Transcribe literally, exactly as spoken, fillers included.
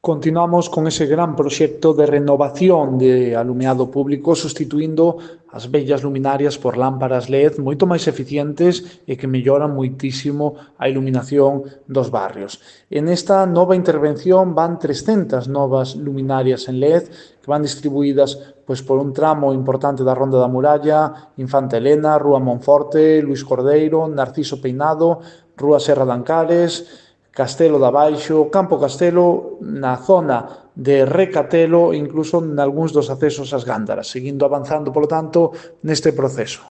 Continuamos con ese gran proxecto de renovación de alumeado público, sustituindo as vellas luminarias por lámparas L E D moito máis eficientes e que melloran moitísimo a iluminación dos barrios. En esta nova intervención van trescentas novas luminarias en L E D que van distribuídas pois, por un tramo importante da Ronda da Muralla, Infanta Elena, Rúa Monforte, Luís Cordeiro, Narciso Peinado, Rúa Serra de Ancares, Castelo da Baixo, Campo Castelo, na zona de Recatelo e incluso nalgúns dos accesos ás Gándaras, seguindo avanzando, polo tanto, neste proceso.